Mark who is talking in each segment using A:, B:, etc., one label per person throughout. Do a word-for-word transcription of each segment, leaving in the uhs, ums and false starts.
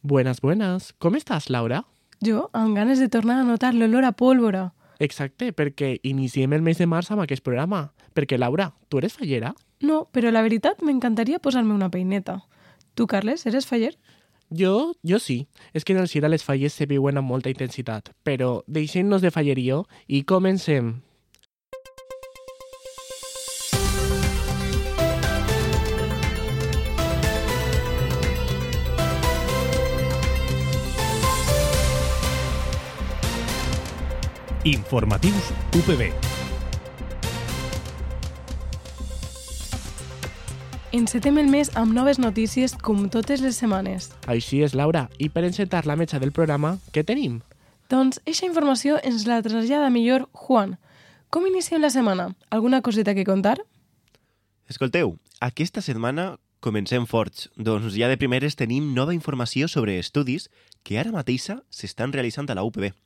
A: Buenas, buenas. Com estàs, Laura?
B: Jo, amb ganes de tornar a notar l'olor a pólvora.
A: Exacte, perquè iniciem el mes de març amb aquest programa. Perquè, Laura, tu eres fallera?
B: No, però la veritat m'encantaria posar-me una peineta. Tu, Carles, eres faller?
A: Jo, jo sí. És que en el Sira les falles se viuen amb molta intensitat. Però deixem-nos de fallerío i comencem.
C: Informatius U P B.
B: Encetem el mes amb noves notícies com totes les setmanes.
A: Així és, Laura. I per encetar la metxa del programa, què tenim?
B: Doncs eixa informació ens la trasllada millor Juan. Com iniciem la setmana? Alguna coseta que contar?
D: Escolteu, aquesta setmana comencem forts. Doncs ja de primeres tenim nova informació sobre estudis que ara mateixa s'estan realitzant a la U P B.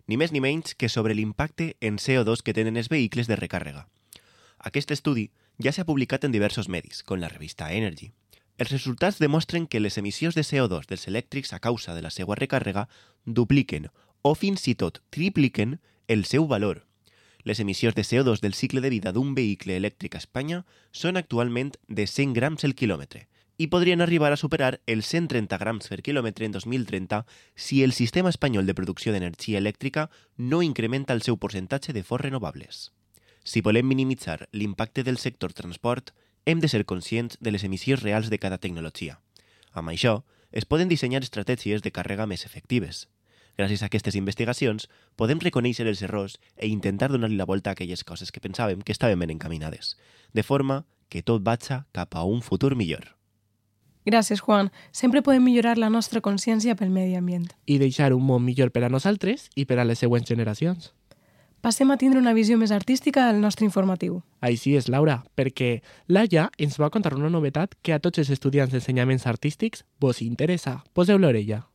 D: Ni més ni menys que sobre l'impacte en C O dos que tenen els vehicles de recàrrega. Aquest estudi ja s'ha publicat en diversos medis, com la revista Energy. Els resultats demostren que les emissions de C O dos dels elèctrics a causa de la seva recàrrega dupliquen o fins i tot tripliquen el seu valor. Les emissions de C O dos del cicle de vida d'un vehicle elèctric a Espanya són actualment de cent grams el quilòmetre i podrien arribar a superar els cent trenta grams per quilòmetre en dos mil trenta si el sistema espanyol de producció d'energia elèctrica no incrementa el seu percentatge de fonts renovables. Si volem minimitzar l'impacte del sector transport, hem de ser conscients de les emissions reals de cada tecnologia. Amb això, es poden dissenyar estratègies de càrrega més efectives. Gràcies a aquestes investigacions, podem reconèixer els errors e intentar donar-li la volta a aquelles coses que pensàvem que estaven ben encaminades, de forma que tot vaig cap a un futur millor.
B: Gràcies, Juan. Sempre podem millorar la nostra consciència pel medi ambient.
A: I deixar un món millor per a nosaltres i per a les següents generacions.
B: Passem a tindre una visió més artística del nostre informatiu.
A: Així és, Laura, perquè Laia ens va contar una novetat que a tots els estudiants d'ensenyaments artístics vos interessa. Poseu l'orella.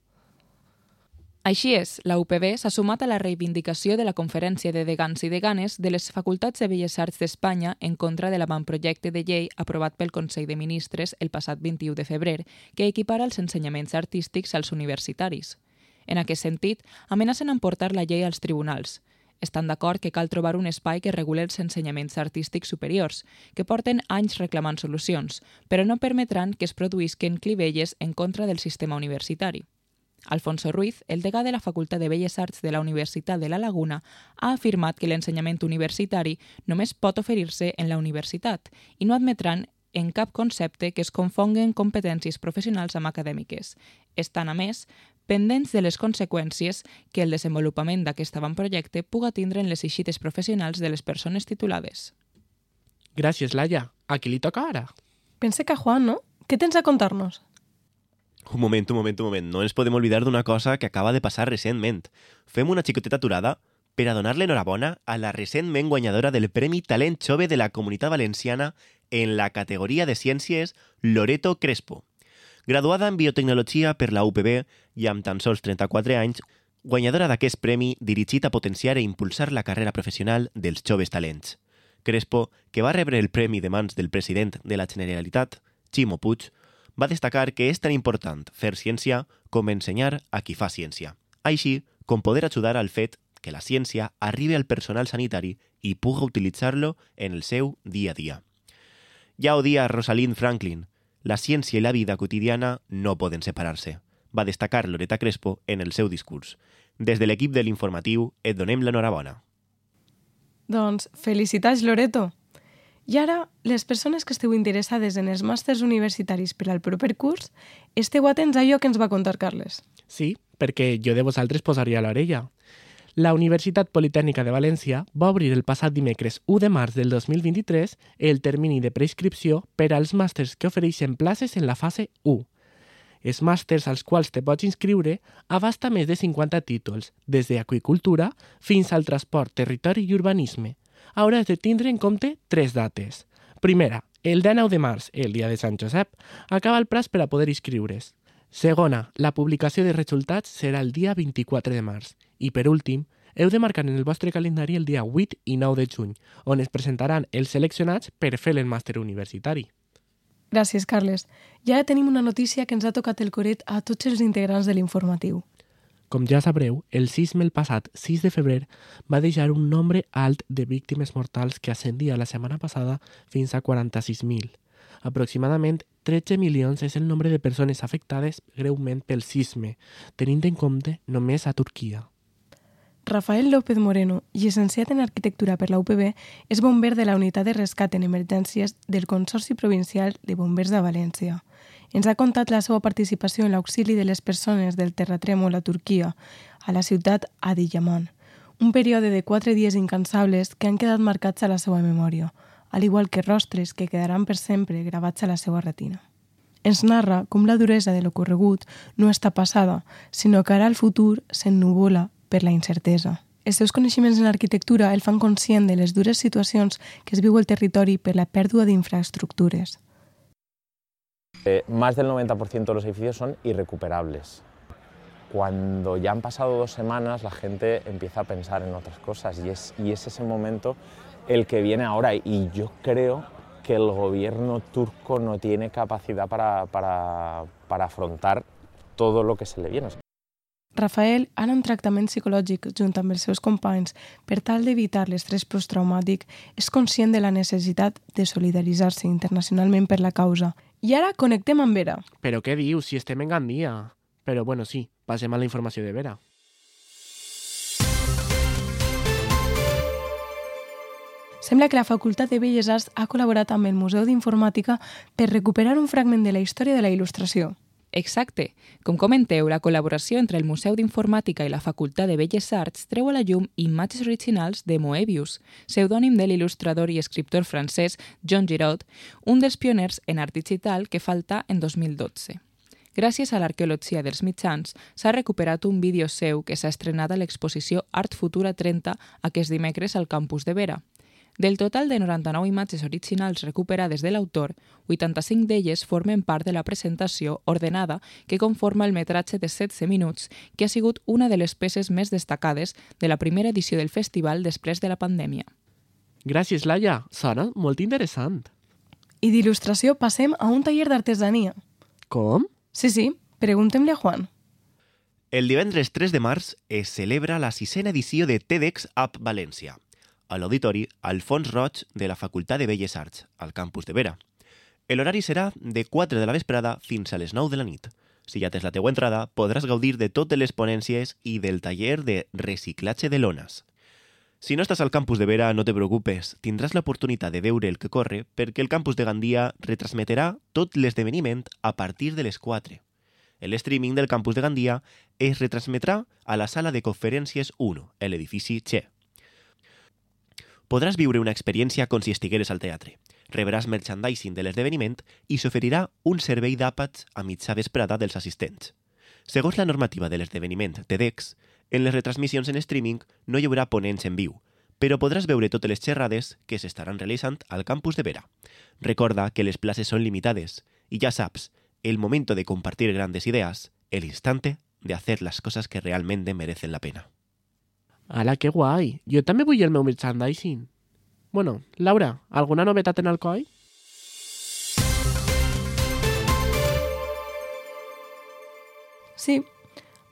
E: Així és, la U P B s'ha sumat a la reivindicació de la Conferència de Degans i Deganes de les Facultats de Belles Arts d'Espanya en contra de l'avantprojecte de llei aprovat pel Consell de Ministres el passat vint-i-u de febrer que equipara els ensenyaments artístics als universitaris. En aquest sentit, amenacen emportar la llei als tribunals. Estan d'acord que cal trobar un espai que reguli els ensenyaments artístics superiors, que porten anys reclamant solucions, però no permetran que es produïsquen clivelles en contra del sistema universitari. Alfonso Ruiz, el degà de la Facultat de Belles Arts de la Universitat de la Laguna, ha afirmat que l'ensenyament universitari només pot oferir-se en la universitat i no admetran en cap concepte que es confonguen competències professionals amb acadèmiques. Estan, a més, pendents de les conseqüències que el desenvolupament d'aquest avantprojecte puga tindre en les eixides professionals de les persones titulades.
A: Gràcies, Laia. A qui li toca ara?
B: Pense que a Juan, no? Què tens a contar-nos?
D: Un moment, un moment, un moment. No ens podem oblidar d'una cosa que acaba de passar recentment. Fem una xicoteta aturada per a donar-li enhorabona a la recentment guanyadora del Premi Talent Jove de la Comunitat Valenciana en la categoria de ciències Loreto Crespo. Graduada en biotecnologia per la U P B i amb tan sols trenta-quatre anys, guanyadora d'aquest premi dirigit a potenciar e impulsar la carrera professional dels joves talents. Crespo, que va rebre el premi de mans del president de la Generalitat, Ximo Puig, va destacar que és tan important fer ciència com ensenyar a qui fa ciència, així com poder ajudar al fet que la ciència arribi al personal sanitari i puga utilitzar-lo en el seu dia a dia. Ja ho dia Rosalind Franklin, la ciència i la vida quotidiana no poden separar-se, va destacar Loreta Crespo en el seu discurs. Des de l'equip de l'informatiu et donem l'enhorabona.
B: Doncs, felicitats, Loreto! I ara, les persones que esteu interessades en els màsters universitaris per al proper curs, esteu atents a allò que ens va contar Carles.
A: Sí, perquè jo de vosaltres posaria l'orella. La Universitat Politècnica de València va obrir el passat dimecres u de març del dos mil vint-i-tres el termini de preinscripció per als màsters que ofereixen places en la fase u. Els màsters als quals te pots inscriure abasta més de cinquanta títols, des d'aqüicultura fins al transport, territori i urbanisme. Hauràs de tindre en compte tres dates. Primera, el dinou de març, el dia de Sant Josep, acaba el plaç per a poder inscriure's. Segona, la publicació de resultats serà el dia vint-i-quatre de març. I per últim, heu de marcar en el vostre calendari el dia vuit i nou de juny, on es presentaran els seleccionats per fer el màster universitari.
B: Gràcies, Carles. I ara tenim una notícia que ens ha tocat el coret a tots els integrants de l'informatiu.
A: Com ja sabreu, el sisme el passat sis de febrer va deixar un nombre alt de víctimes mortals que ascendia la setmana passada fins a quaranta-sis mil. Aproximadament tretze milions és el nombre de persones afectades greument pel sisme, tenint en compte només a Turquia.
B: Rafael López Moreno, llicenciat en Arquitectura per la U P B, és bomber de la Unitat de Rescat en Emergències del Consorci Provincial de Bombers de València. Ens ha contat la seva participació en l'auxili de les persones del terratrèmol a Turquia, a la ciutat Adiyaman, un període de quatre dies incansables que han quedat marcats a la seva memòria, al igual que rostres que quedaran per sempre gravats a la seva retina. Ens narra com la duresa de l'ocorregut no està passada, sinó que ara el futur s'ennuvola per la incertesa. Els seus coneixements en arquitectura el fan conscient de les dures situacions que es viu al territori per la pèrdua d'infraestructures.
C: Eh, más del noventa por ciento de los edificios son irrecuperables. Cuando ya han pasado dos semanas, la gente empieza a pensar en otras cosas y es, y es ese momento el que viene ahora. Y yo creo que el gobierno turco no tiene capacidad para, para, para afrontar todo lo que se le viene.
B: Rafael, ara en tractament psicològic junt amb els seus companys per tal d'evitar l'estrès posttraumàtic, és conscient de la necessitat de solidaritzar-se internacionalment per la causa. I ara connectem amb Vera.
A: Però què dius, si estem en Gandia? Però bueno, sí, passem a la informació de Vera.
B: Sembla que la Facultat de Belles Arts ha col·laborat amb el Museu d'Informàtica per recuperar un fragment de la història de la il·lustració.
E: Exacte. Com comenteu, la col·laboració entre el Museu d'Informàtica i la Facultat de Belles Arts treu a la llum imatges originals de Moebius, pseudònim de l'il·lustrador i escriptor francès Jean Giraud, un dels pioners en art digital que falta en dos mil dotze. Gràcies a l'arqueologia dels mitjans, s'ha recuperat un vídeo seu que s'ha estrenat a l'exposició Art Futura trenta aquest dimecres al campus de Vera. Del total de noranta-nou imatges originals recuperades de l'autor, vuitanta-cinc d'elles formen part de la presentació ordenada que conforma el metratge de setze minuts, que ha sigut una de les peces més destacades de la primera edició del festival després de la pandèmia.
A: Gràcies, Laia. Sona molt interessant.
B: I d'il·lustració passem a un taller d'artesania.
A: Com?
B: Sí, sí, preguntem-li a Juan.
D: El divendres tres de març es celebra la sisena edició de TEDx App València, a l'auditori Alfons Roig de la Facultat de Belles Arts, al campus de Vera. L'horari serà de quatre de la vesprada fins a les nou de la nit. Si ja tens la teua entrada, podràs gaudir de totes les ponències i del taller de reciclatge de lones. Si no estàs al campus de Vera, no te preocupes, tindràs l'oportunitat de veure el que corre perquè el campus de Gandia retransmetrà tot l'esdeveniment a partir de les quatre. El streaming del campus de Gandia es retransmetrà a la sala de conferències u, a l'edifici Che. Podràs viure una experiència com si estigueres al teatre. Rebràs merchandising de l'esdeveniment i s'oferirà un servei d'àpats a mitja vesprada dels assistents. Segons la normativa de l'esdeveniment TEDx, en les retransmissions en streaming no hi haurà ponents en viu, però podràs veure totes les xerrades que s'estaran realitzant al campus de Vera. Recorda que les places són limitades i ja saps, el momento de compartir grandes ideas, el instante de hacer las cosas que realmente merecen la pena.
A: Ala, que guai! Jo també vull el meu merchandising. Bueno, Laura, alguna novetat en Alcoi?
B: Sí,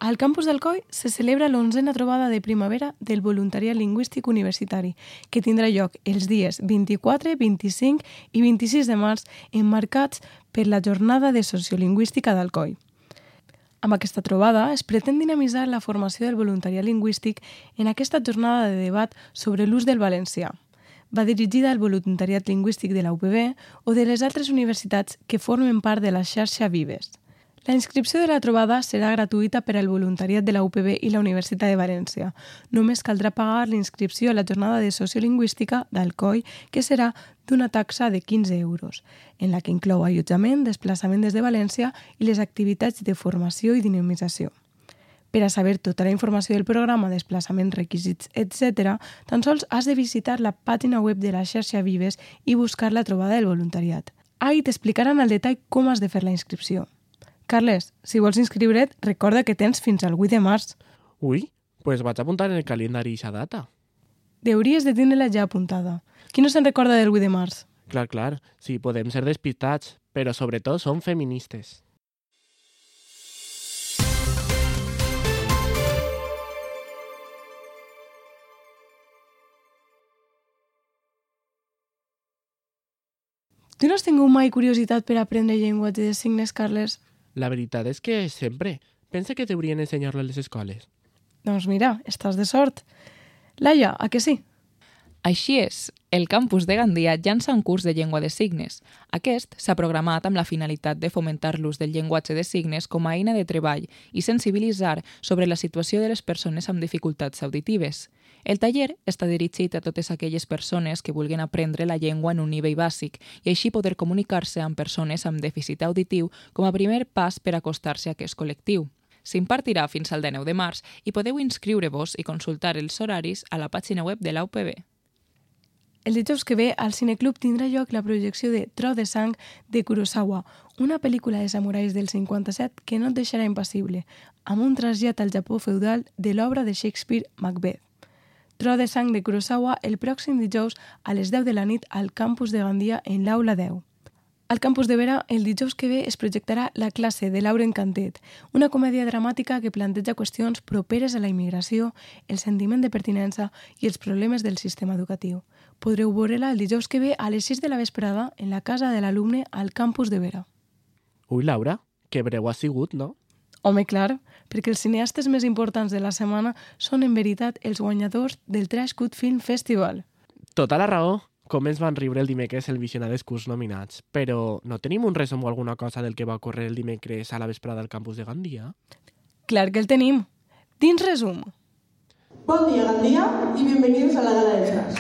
B: al campus d'Alcoi se celebra l'onzena trobada de primavera del voluntariat lingüístic universitari, que tindrà lloc els dies vint-i-quatre, vint-i-cinc i vint-i-sis de març, emmarcats per la jornada de sociolingüística d'Alcoi. Amb aquesta trobada es pretén dinamitzar la formació del voluntariat lingüístic en aquesta jornada de debat sobre l'ús del valencià. Va dirigida al voluntariat lingüístic de la U P B o de les altres universitats que formen part de la xarxa Vives. La inscripció de la trobada serà gratuïta per al voluntariat de la U P B i la Universitat de València. Només caldrà pagar la inscripció a la jornada de sociolingüística d'Alcoi, que serà d'una taxa de quinze euros, en la que inclou allotjament, desplaçament des de València i les activitats de formació i dinamització. Per a saber tota la informació del programa, desplaçaments, requisits, etcètera, tan sols has de visitar la pàgina web de la xarxa Vives i buscar la trobada del voluntariat. Ahí t'explicaran al detall com has de fer la inscripció. Carles, si vols inscriure't, recorda que tens fins al vuit de març.
A: Ui, pues vaig apuntar en el calendari aquesta data.
B: Hauries de tenir-la ja apuntada. Qui no se'n recorda del vuit de març?
A: Clar, clar, sí, podem ser despistats, pero sobre todo son feministas.
B: Tu no has tingut mai curiositat per aprendre llenguatge de signes, Carles?
A: La veritat és que sempre. Pensa que t'haurien ensenyar-lo a les escoles.
B: Doncs mira, estàs de sort. Laia, a que sí?
E: Així és, el campus de Gandia llança un curs de llengua de signes. Aquest s'ha programat amb la finalitat de fomentar l'ús del llenguatge de signes com a eina de treball i sensibilitzar sobre la situació de les persones amb dificultats auditives. El taller està dirigit a totes aquelles persones que vulguin aprendre la llengua en un nivell bàsic i així poder comunicar-se amb persones amb dèficit auditiu com a primer pas per acostar-se a aquest col·lectiu. S'impartirà fins al dinou de març i podeu inscriure-vos i consultar els horaris a la pàgina web de la U P B.
B: El dijous que ve al Cineclub tindrà lloc la projecció de Tro de sang de Kurosawa, una pel·lícula de samurais del cinquanta-set que no et deixarà impassible, amb un trasllat al Japó feudal de l'obra de Shakespeare Macbeth. Tro de sang de Kurosawa el pròxim dijous a les deu de la nit al campus de Gandia en l'Aula deu. Al campus de Vera, el dijous que ve es projectarà La classe de Lauren Cantet, una comèdia dramàtica que planteja qüestions properes a la immigració, el sentiment de pertinença i els problemes del sistema educatiu. Podreu veure-la el dijous que ve a les sis de la vesprada en la casa de l'alumne al campus de Vera.
A: Ui, Laura, que breu ha sigut, no?
B: Home, clar, perquè els cineastes més importants de la setmana són en veritat els guanyadors del Trash Good Film Festival.
A: Tota la raó. Com ens van riure el dimecres el visionar dels curs nominats. Però no tenim un resum o alguna cosa del que va ocórrer el dimecres a la vesprada al campus de Gandia?
B: Clar que el tenim. Dins resum.
F: Bon dia, Gandia, y bienvenidos a la Gala del Trash.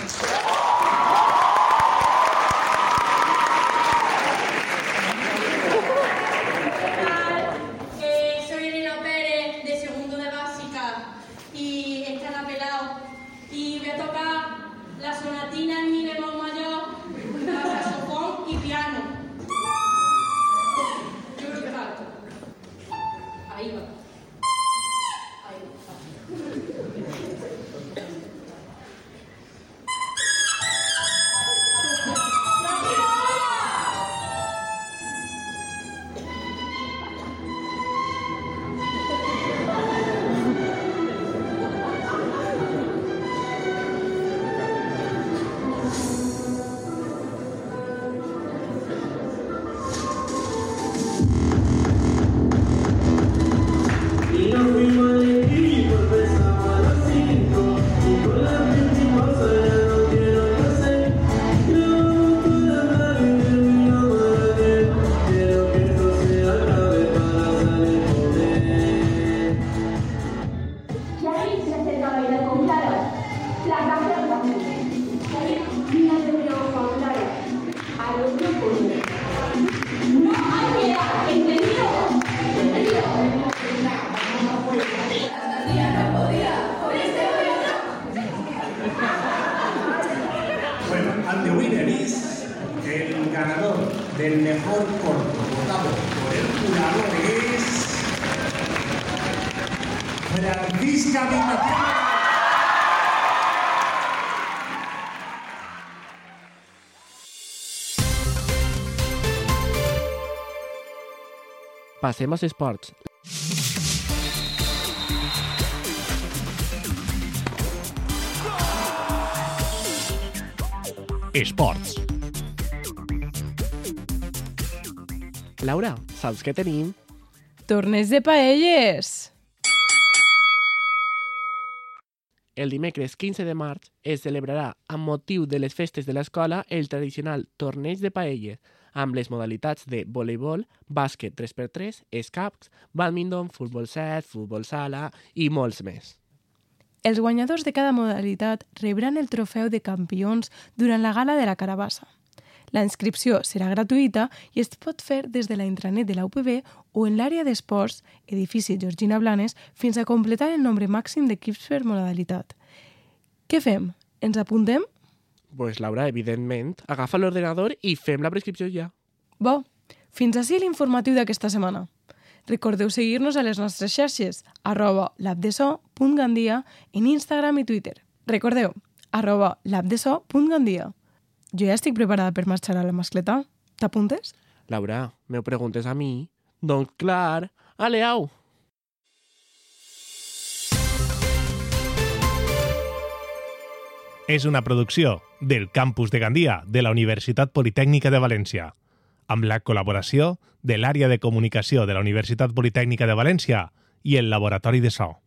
G: And the winner is el ganador del mejor corto votado por el jurado es Francisca Vignación.
A: Passem als esports.
H: Esports.
A: Laura, saps què tenim?
B: Torneig de paelles!
A: El dimecres quinze de març es celebrarà, amb motiu de les festes de l'escola, el tradicional Torneig de Paelles, amb les modalitats de voleibol, bàsquet tres per tres, escacs, bàdminton, futbol set, futbol sala i molts més.
B: Els guanyadors de cada modalitat rebran el trofeu de campions durant la gala de la Carabassa. La inscripció serà gratuïta i es pot fer des de la intranet de la U P B o en l'àrea d'esports, edifici Georgina Blanes, fins a completar el nombre màxim d'equips per modalitat. Què fem? Ens apuntem?
A: Pues Laura, evidentment, agafa l'ordenador i fem la prescripció ja.
B: Bo, fins ací l'informatiu d'aquesta setmana. Recordeu seguir-nos a les nostres xarxes, arroba labdeso.gandia en Instagram i Twitter. Recordeu, arroba labdeso.gandia. Jo ja estic preparada per marxar a la mascleta. T'apuntes?
A: Laura, me preguntes a mi? Doncs clar, ale, au!
G: És una producció del Campus de Gandia de la Universitat Politècnica de València, amb la col·laboració de l'Àrea de Comunicació de la Universitat Politècnica de València i el Laboratori de So.